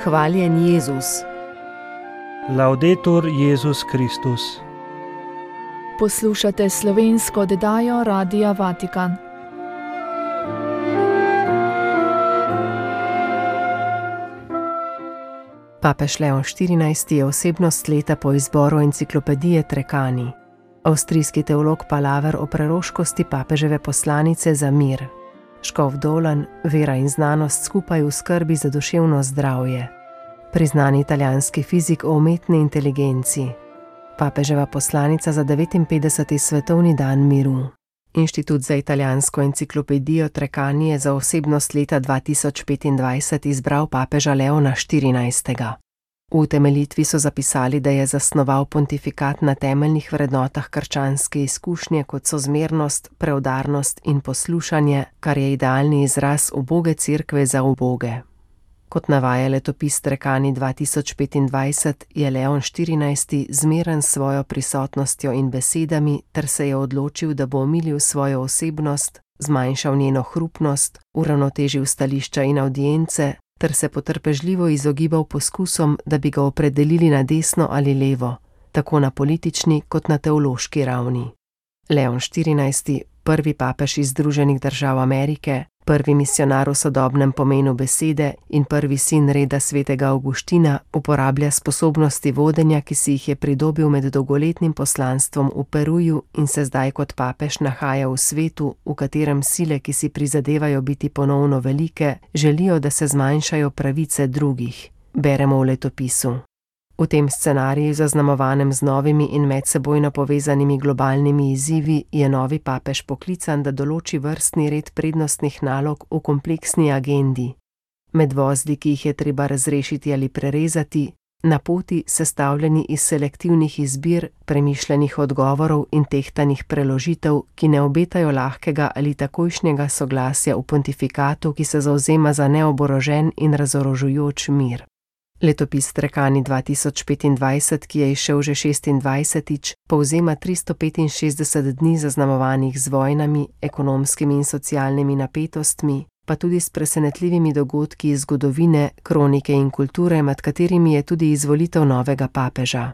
Hvaljen Jezus. Laudetur Jezus Kristus. Poslušate slovensko oddajo Radia Vatikan. Papež Leon XIV. Je osebnost leta po izboru enciklopedije Treccani. Avstrijski teolog palaver o preroškosti papeževe poslanice za mir. Škof Dolan, vera in znanost skupaj v skrbi za duševno zdravje. Priznani italijanski fizik o umetni inteligenci. Papeževa poslanica za 59. svetovni dan miru. Inštitut za italijansko enciklopedijo Treccani je za osebnost leta 2025 izbral papeža Leona XIV. V utemeljitvi so zapisali, da je zasnoval pontifikat na temeljnih vrednotah krščanske izkušnje, kot so zmernost, preudarnost in poslušanje, kar je idealni izraz uboge cerkve za uboge. Kot navaja letopis Treccani 2025, je Leon XIV. Zmeren s svojo prisotnostjo in besedami ter se je odločil, da bo omilil svojo osebnost, zmanjšal njeno hrupnost, uravnotežil stališča in avdience ter se potrpežljivo izogibal poskusom, da bi ga opredelili na desno ali levo, tako na politični kot na teološki ravni. Leon XIV., prvi papež iz Združenih držav Amerike, prvi misijonar v sodobnem pomenu besede in prvi sin reda svetega Avguština, uporablja sposobnosti vodenja, ki si jih je pridobil med dolgoletnim poslanstvom v Peruju in se zdaj kot papež nahaja v svetu, v katerem sile, ki si prizadevajo biti ponovno velike, želijo, da se zmanjšajo pravice drugih, beremo v letopisu. V tem scenariju, zaznamovanem z novimi in medsebojno povezanimi globalnimi izzivi, je novi papež poklican, da določi vrstni red prednostnih nalog v kompleksni agendi. Med vozdi, ki jih je treba razrešiti ali prerezati, na poti sestavljeni iz selektivnih izbir, premišljenih odgovorov in tehtanih preložitev, ki ne obetajo lahkega ali takojšnjega soglasja v pontifikatu, ki se zavzema za neoborožen in razorožujoč mir. Letopis Treccani 2025, ki je izšel že 26. povzema 365 dni zaznamovanih z vojnami, ekonomskimi in socialnimi napetostmi, pa tudi s presenetljivimi dogodki iz zgodovine, kronike in kulture, med katerimi je tudi izvolitev novega papeža.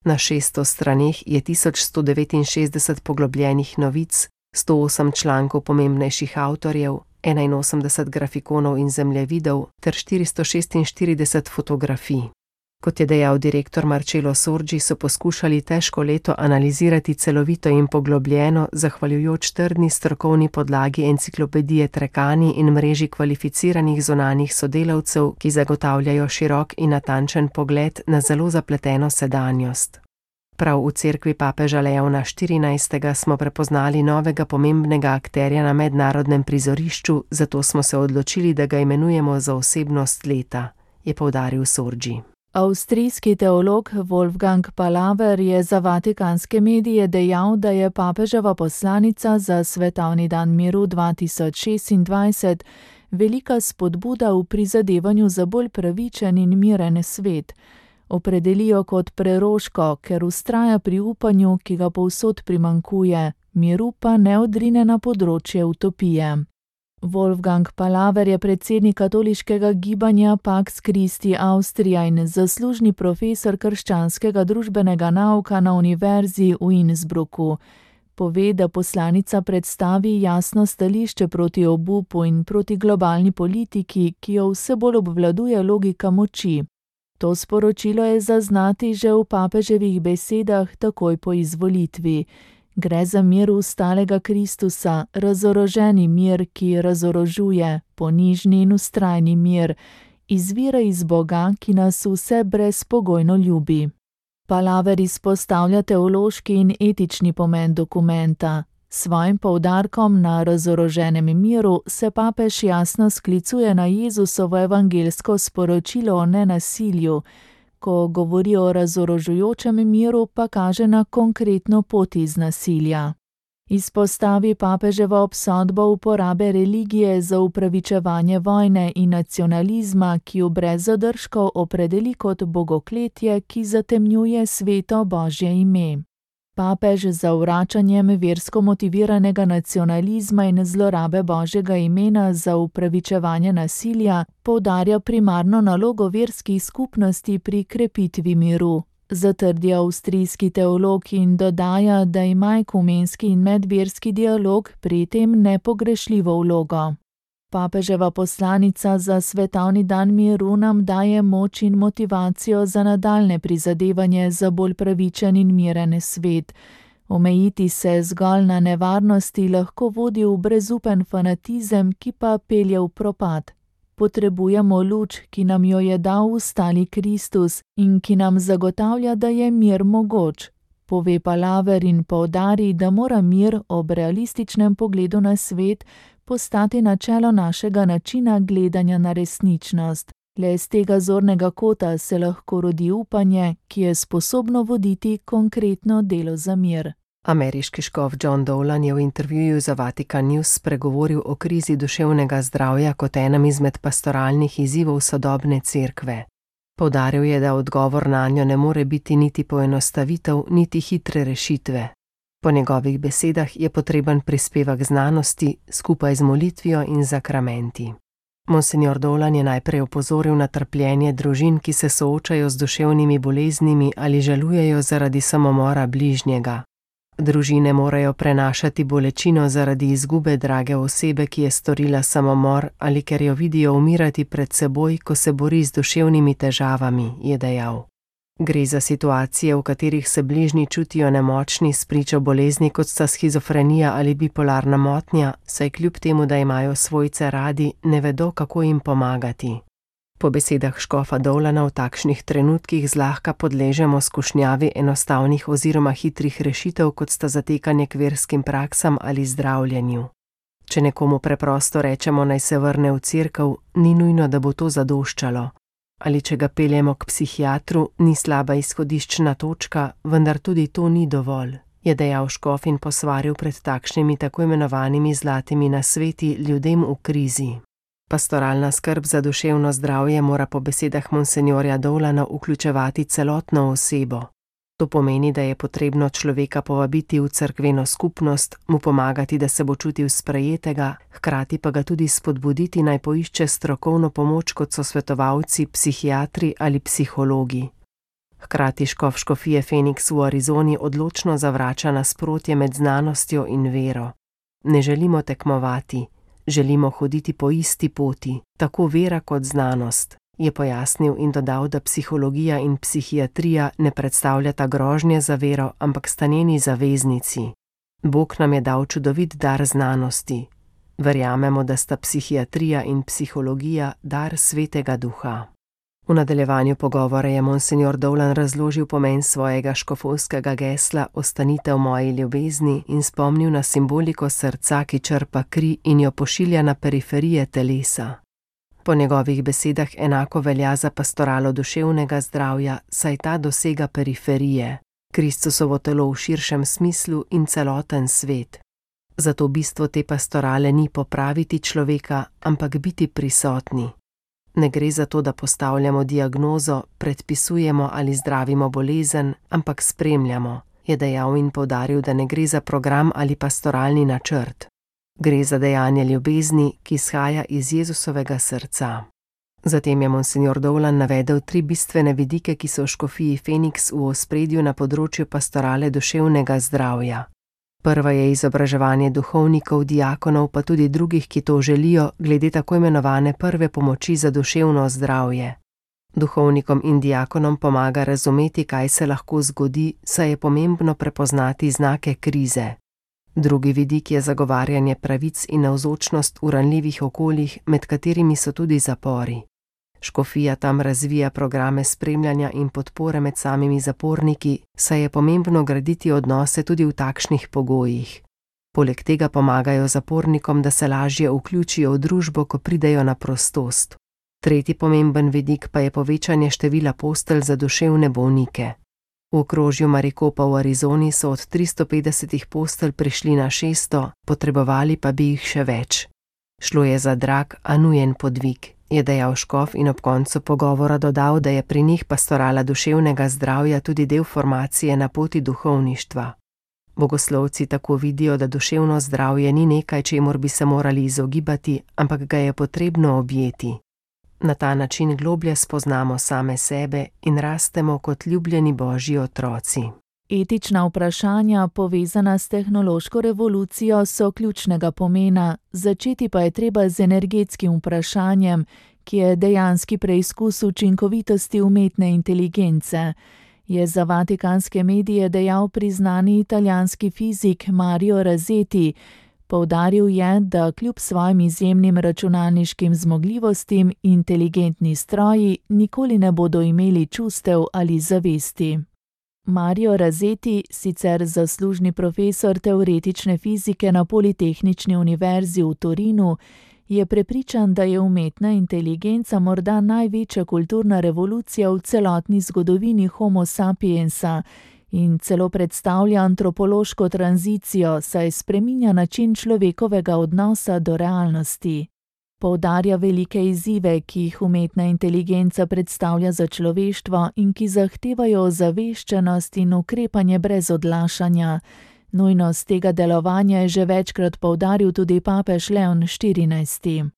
Na 600 straneh je 1169 poglobljenih novic, 108 člankov pomembnejših avtorjev, 81 grafikonov in zemljevidov ter 446 fotografij. Kot je dejal direktor Marcello Sorgi, so poskušali težko leto analizirati celovito in poglobljeno, zahvaljujoč trdni strokovni podlagi enciklopedije Treccani in mreži kvalificiranih zunanjih sodelavcev, ki zagotavljajo širok in natančen pogled na zelo zapleteno sedanjost. Prav v cerkvi papeža Leona XIV. Smo prepoznali novega pomembnega akterja na mednarodnem prizorišču, zato smo se odločili, da ga imenujemo za osebnost leta, je poudaril Sorgi. Avstrijski teolog Wolfgang Palaver je za vatikanske medije dejal, da je papeževa poslanica za svetovni dan miru 2026 velika spodbuda v prizadevanju za bolj pravičen in miren svet. Opredelijo kot preroško, ker vztraja pri upanju, ki ga povsod primanjkuje, miru pa ne odrine na področje utopije. Wolfgang Palaver je predsednik katoliškega gibanja Pax Christi Austria in zaslužni profesor krščanskega družbenega nauka na univerzi v Innsbrucku. Pove, da poslanica predstavi jasno stališče proti obupu in proti globalni politiki, ki jo vse bolj obvladuje logika moči. To sporočilo je zaznati že v papeževih besedah takoj po izvolitvi. Gre za mir ustalega Kristusa, razoroženi mir, ki razorožuje, ponižni in vztrajni mir, izvira iz Boga, ki nas vse brezpogojno ljubi. Palaver izpostavlja teološki in etični pomen dokumenta. Svojim poudarkom na razoroženem miru se papež jasno sklicuje na Jezusovo evangeljsko sporočilo o nenasilju, ko govori o razorožujočem miru, pa kaže na konkretno pot iz nasilja. Izpostavi papeževo obsodbo uporabe religije za upravičevanje vojne in nacionalizma, ki jo brez zadržkov opredeli kot bogokletje, ki zatemnjuje sveto Božje ime. Papež z zavračanjem versko motiviranega nacionalizma in zlorabe Božjega imena za upravičevanje nasilja poudarja primarno nalogo verskih skupnosti pri krepitvi miru. Zatrdi avstrijski teolog in dodaja, da ima ekumenski in medverski dialog pri tem nepogrešljivo vlogo. Papeževa poslanica za svetovni dan miru nam daje moč in motivacijo za nadaljnje prizadevanje za bolj pravičen in miren svet. Omejiti se zgolj na nevarnosti lahko vodi v brezupen fanatizem, ki pa pelje v propad. Potrebujemo luč, ki nam jo je dal ustali Kristus in ki nam zagotavlja, da je mir mogoč. Pove Palaver in poudari, da mora mir ob realističnem pogledu na svet postati načelo našega načina gledanja na resničnost. Le z tega zornega kota se lahko rodi upanje, ki je sposobno voditi konkretno delo za mir. Ameriški škof John Dowland je v intervjuju za Vatican News spregovoril o krizi duševnega zdravja kot enem izmed pastoralnih izzivov sodobne cerkve. Poudaril je, da odgovor nanjo ne more biti niti poenostavitev, niti hitre rešitve. Po njegovih besedah je potreben prispevek znanosti skupaj z molitvijo in zakramenti. Monsignor Dowland je najprej opozoril na trpljenje družin, ki se soočajo z duševnimi boleznimi ali žalujejo zaradi samomora bližnjega. Družine morajo prenašati bolečino zaradi izgube drage osebe, ki je storila samomor ali ker jo vidijo umirati pred seboj, ko se bori z duševnimi težavami, je dejal. Gre za situacije, v katerih se bližnji čutijo nemočni spričo bolezni, kot sta shizofrenija ali bipolarna motnja, saj kljub temu, da imajo svojce radi, ne vedo, kako jim pomagati. Po besedah škofa Dowlanda v takšnih trenutkih zlahka podležemo skušnjavi enostavnih oziroma hitrih rešitev, kot sta zatekanje k verskim praksam ali zdravljenju. Če nekomu preprosto rečemo, naj se vrne v cerkev, ni nujno, da bo to zadoščalo. Ali če ga peljemo k psihiatru, ni slaba izhodiščna točka, vendar tudi to ni dovolj, je dejal škof in posvaril pred takšnimi tako imenovanimi zlatimi nasveti ljudem v krizi. Pastoralna skrb za duševno zdravje mora po besedah monsenjorja Dowlanda vključevati celotno osebo. To pomeni, da je potrebno človeka povabiti v cerkveno skupnost, mu pomagati, da se bo čutil sprejetega, hkrati pa ga tudi spodbuditi, naj poišče strokovno pomoč, kot so svetovalci, psihiatri ali psihologi. Hkrati škof škofije Phoenix v Arizoni odločno zavrača nasprotje med znanostjo in vero. Ne želimo tekmovati, želimo hoditi po isti poti, tako vera kot znanost, je pojasnil in dodal, da psihologija in psihiatrija ne predstavljata grožnje za vero, ampak sta njeni zaveznici. Bog nam je dal čudovit dar znanosti. Verjamemo, da sta psihiatrija in psihologija dar Svetega Duha. V nadaljevanju pogovora je monsignor Dowland razložil pomen svojega škofovskega gesla Ostanite v moji ljubezni in spomnil na simboliko srca, ki črpa kri in jo pošilja na periferije telesa. Po njegovih besedah enako velja za pastoralo duševnega zdravja, saj ta dosega periferije, Kristusovo telo v širšem smislu in celoten svet. Zato bistvo te pastorale ni popraviti človeka, ampak biti prisotni. Ne gre za to, da postavljamo diagnozo, predpisujemo ali zdravimo bolezen, ampak spremljamo, je dejal in poudaril, da ne gre za program ali pastoralni načrt. Gre za dejanje ljubezni, ki izhaja iz Jezusovega srca. Zatem je monsignor Dowland navedel 3 bistvene vidike, ki so v škofiji Phoenix v ospredju na področju pastorale duševnega zdravja. Prva je izobraževanje duhovnikov, diakonov, pa tudi drugih, ki to želijo, glede tako imenovane prve pomoči za duševno zdravje. Duhovnikom in diakonom pomaga razumeti, kaj se lahko zgodi, saj je pomembno prepoznati znake krize. Drugi vidik je zagovarjanje pravic in navzočnost v ranljivih okoljih, med katerimi so tudi zapori. Škofija tam razvija programe spremljanja in podpore med samimi zaporniki, saj je pomembno graditi odnose tudi v takšnih pogojih. Poleg tega pomagajo zapornikom, da se lažje vključijo v družbo, ko pridejo na prostost. Tretji pomemben vidik pa je povečanje števila postelj za duševne bolnike. V okrožju Maricopa v Arizoni so od 350 postelj prišli na 600, potrebovali pa bi jih še več. Šlo je za drag, a nujen podvig, je dejal škof in ob koncu pogovora dodal, da je pri njih pastorala duševnega zdravja tudi del formacije na poti duhovništva. Bogoslovci tako vidijo, da duševno zdravje ni nekaj, čemur bi se morali izogibati, ampak ga je potrebno objeti. Na ta način globlje spoznamo same sebe in rastemo kot ljubljeni Božji otroci. Etična vprašanja, povezana s tehnološko revolucijo, so ključnega pomena, začeti pa je treba z energetskim vprašanjem, ki je dejanski preizkus učinkovitosti umetne inteligence, je za vatikanske medije dejal priznani italijanski fizik Mario Rasetti. Poudaril je, da kljub svojim izjemnim računalniškim zmogljivostim inteligentni stroji nikoli ne bodo imeli čustev ali zavesti. Mario Rasetti, sicer zaslužni profesor teoretične fizike na Politehnični univerzi v Torinu, je prepričan, da je umetna inteligenca morda največja kulturna revolucija v celotni zgodovini Homo sapiensa in celo predstavlja antropološko tranzicijo, saj spreminja način človekovega odnosa do realnosti. Poudarja velike izzive, ki jih umetna inteligenca predstavlja za človeštvo in ki zahtevajo ozaveščenost in ukrepanje brez odlašanja. Nujnost tega delovanja je že večkrat poudaril tudi papež Leon XIV.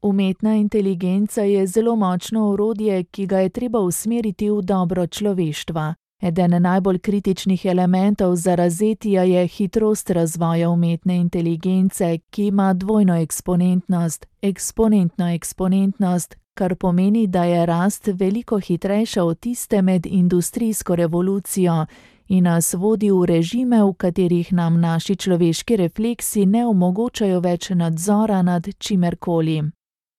Umetna inteligenca je zelo močno orodje, ki ga je treba usmeriti v dobro človeštva. Eden najbolj kritičnih elementov za Rasettija je hitrost razvoja umetne inteligence, ki ima dvojno eksponentnost, eksponentno-eksponentnost, kar pomeni, da je rast veliko hitrejša od tiste med industrijsko revolucijo in nas vodi v režime, v katerih nam naši človeški refleksi ne omogočajo več nadzora nad čimerkoli.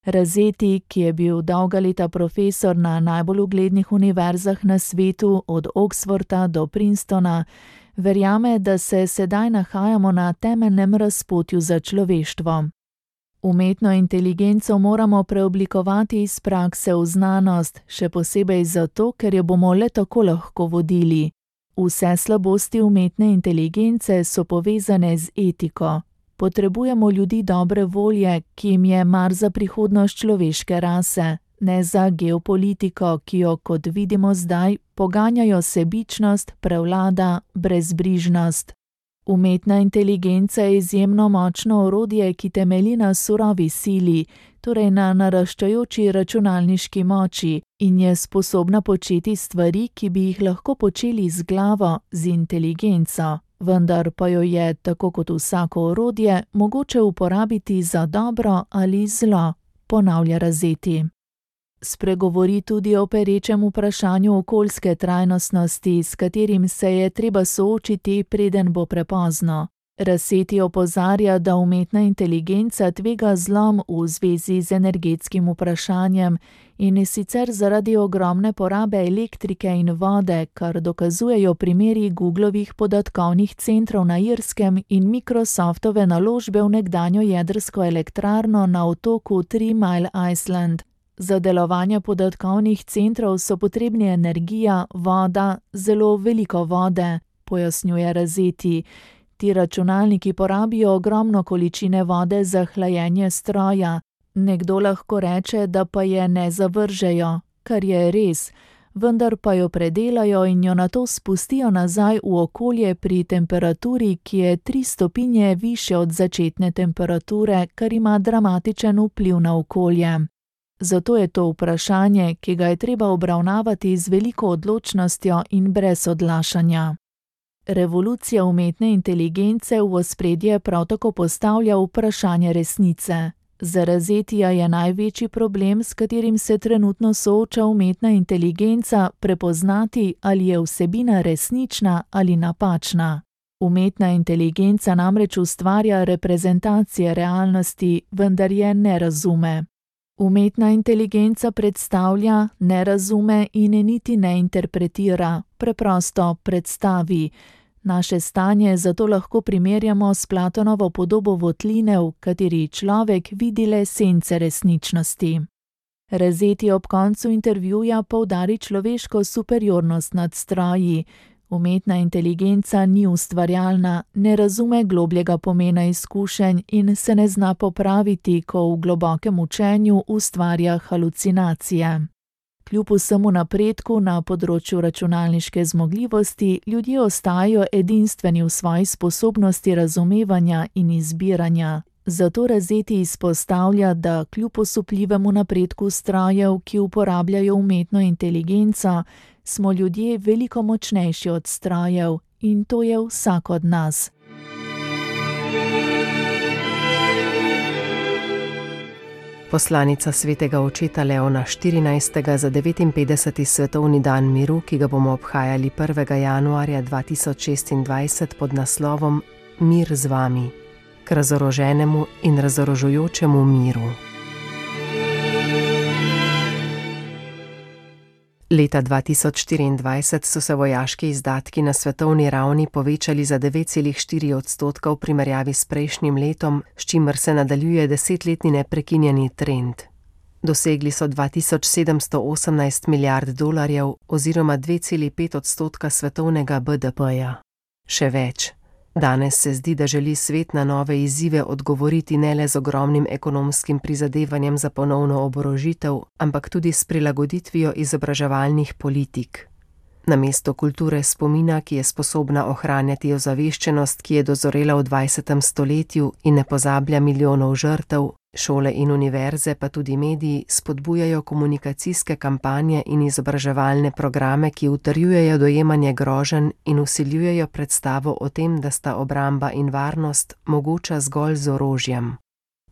Rasetti, ki je bil dolga leta profesor na najbolj uglednih univerzah na svetu, od Oxforda do Princetona, verjame, da se sedaj nahajamo na temeljnem razpotju za človeštvo. Umetno inteligenco moramo preoblikovati iz prakse v znanost, še posebej zato, ker jo bomo le tako lahko vodili. Vse slabosti umetne inteligence so povezane z etiko. Potrebujemo ljudi dobre volje, ki jim je mar za prihodnost človeške rase, ne za geopolitiko, ki jo, kot vidimo zdaj, poganjajo sebičnost, prevlada, brezbrižnost. Umetna inteligenca je izjemno močno orodje, ki temelji na surovi sili, torej na naraščajoči računalniški moči, in je sposobna početi stvari, ki bi jih lahko počeli z glavo, z inteligenco. Vendar pa jo je, tako kot vsako orodje, mogoče uporabiti za dobro ali zlo, ponavlja Rasetti. Spregovori tudi o perečem vprašanju okoljske trajnostnosti, s katerim se je treba soočiti, preden bo prepozno. Rasetti opozarja, da umetna inteligenca tvega zlom v zvezi z energetskim vprašanjem in sicer zaradi ogromne porabe elektrike in vode, kar dokazujejo primeri Googlovih podatkovnih centrov na Irskem in Microsoftove naložbe v nekdanjo jedrsko elektrarno na otoku Three Mile Island. Za delovanje podatkovnih centrov so potrebni energija, voda, zelo veliko vode, pojasnjuje Rasetti. Ti računalniki porabijo ogromno količine vode za hlajenje stroja. Nekdo lahko reče, da pa je ne zavržejo, kar je res, vendar pa jo predelajo in jo nato spustijo nazaj v okolje pri temperaturi, ki je 3 stopinje višje od začetne temperature, kar ima dramatičen vpliv na okolje. Zato je to vprašanje, ki ga je treba obravnavati z veliko odločnostjo in brez odlašanja. Revolucija umetne inteligence v ospredje prav tako postavlja vprašanje resnice. Za Rasettija je največji problem, s katerim se trenutno sooča umetna inteligenca, prepoznati, ali je vsebina resnična ali napačna. Umetna inteligenca namreč ustvarja reprezentacije realnosti, vendar je ne razume. Umetna inteligenca predstavlja, ne razume in niti ne interpretira, preprosto predstavi. Naše stanje zato lahko primerjamo s Platonovo podobo votline, v kateri človek vidi le sence resničnosti. Rasetti ob koncu intervjuja poudari človeško superiornost nad stroji. Umetna inteligenca ni ustvarjalna, ne razume globljega pomena izkušenj in se ne zna popraviti, ko v globokem učenju ustvarja halucinacije. Kljub vsemu napredku na področju računalniške zmogljivosti, ljudje ostajajo edinstveni v svoji sposobnosti razumevanja in izbiranja. Zato Razetti izpostavlja, da kljub osupljivemu napredku strojev, ki uporabljajo umetno inteligenco, smo ljudje veliko močnejši od strojev in to je vsak od nas. Poslanica svetega očeta Leona XIV. Za 59. svetovni dan miru, ki ga bomo obhajali 1. januarja 2026 pod naslovom Mir z vami, k razoroženemu in razorožujočemu miru. Leta 2024 so se vojaški izdatki na svetovni ravni povečali za 9,4% v primerjavi s prejšnjim letom, s čimer se nadaljuje 10-letni neprekinjeni trend. Dosegli so $2718 milijard oziroma 2,5% svetovnega BDP-ja. Še več. Danes se zdi, da želi svet na nove izzive odgovoriti ne le z ogromnim ekonomskim prizadevanjem za ponovno oborožitev, ampak tudi s prilagoditvijo izobraževalnih politik. Namesto kulture spomina, ki je sposobna ohranjati ozaveščenost, ki je dozorela v 20. stoletju in ne pozablja milijonov žrtev, šole in univerze pa tudi mediji spodbujajo komunikacijske kampanje in izobraževalne programe, ki utrjujejo dojemanje groženj in vsiljujejo predstavo o tem, da sta obramba in varnost mogoča zgolj z orožjem.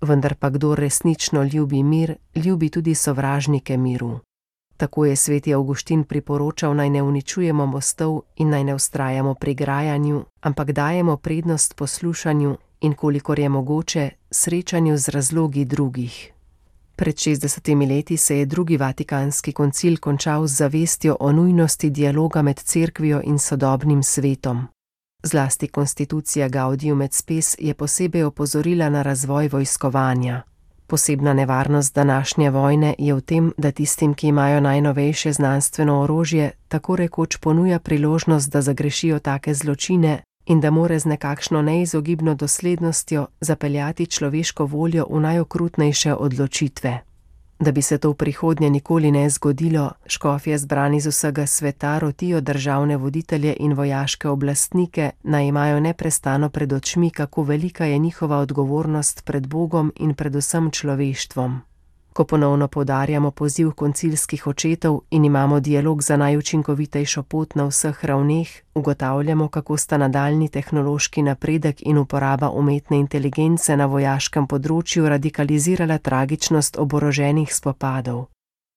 Vendar pa kdor resnično ljubi mir, ljubi tudi sovražnike miru. Tako je sveti Avguštin priporočal, naj ne uničujemo mostov in naj ne vztrajamo pri grajanju, ampak dajemo prednost poslušanju in, kolikor je mogoče, srečanju z razlogi drugih. Pred 60 leti se je drugi Vatikanski koncil končal z zavestjo o nujnosti dialoga med cerkvijo in sodobnim svetom. Zlasti konstitucija Gaudium et Spes je posebej opozorila na razvoj vojskovanja. Posebna nevarnost današnje vojne je v tem, da tistim, ki imajo najnovejše znanstveno orožje, tako rekoč ponuja priložnost, da zagrešijo take zločine in da more z nekakšno neizogibno doslednostjo zapeljati človeško voljo v najokrutnejše odločitve. Da bi se to v prihodnje nikoli ne zgodilo, škofje zbrani z vsega sveta rotijo državne voditelje in vojaške oblastnike, naj imajo neprestano pred očmi, kako velika je njihova odgovornost pred Bogom in predvsem človeštvom. Ko ponovno poudarjamo poziv koncilskih očetov in imamo dialog za najučinkovitejšo pot na vseh ravneh, ugotavljamo, kako sta nadaljnji tehnološki napredek in uporaba umetne inteligence na vojaškem področju radikalizirala tragičnost oboroženih spopadov.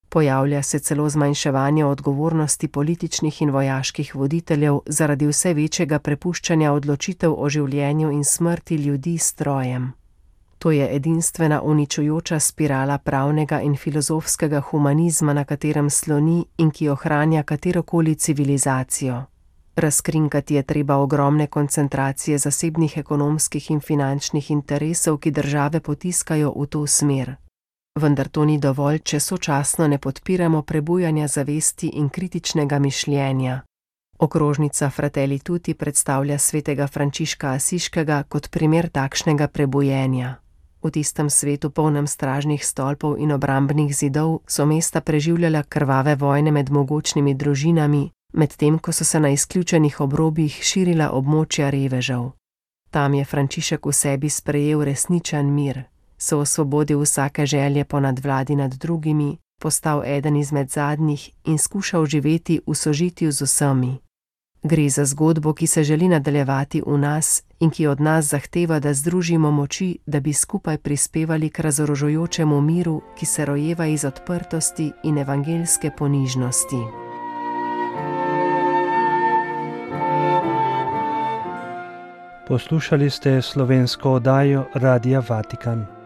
Pojavlja se celo zmanjševanje odgovornosti političnih in vojaških voditeljev zaradi vse večjega prepuščanja odločitev o življenju in smrti ljudi strojem. To je edinstvena uničujoča spirala pravnega in filozofskega humanizma, na katerem sloni in ki ohranja katerokoli civilizacijo. Razkrinkati je treba ogromne koncentracije zasebnih ekonomskih in finančnih interesov, ki države potiskajo v to smer. Vendar to ni dovolj, če sočasno ne podpiramo prebujanja zavesti in kritičnega mišljenja. Okrožnica Fratelli Tutti predstavlja svetega Frančiška Asiškega kot primer takšnega prebujenja. V tistem svetu, polnem stražnih stolpov in obrambnih zidov, so mesta preživljala krvave vojne med mogočnimi družinami, medtem ko so se na izključenih obrobjih širila območja revežev. Tam je Frančišek v sebi sprejel resničen mir, se osvobodil vsake želje po nadvladi nad drugimi, postal eden izmed zadnjih in skušal živeti v sožitju z vsemi. Gre za zgodbo, ki se želi nadaljevati v nas in ki od nas zahteva, da združimo moči, da bi skupaj prispevali k razorožujočemu miru, ki se rojeva iz odprtosti in evangeljske ponižnosti. Poslušali ste slovensko oddajo Radia Vatikan.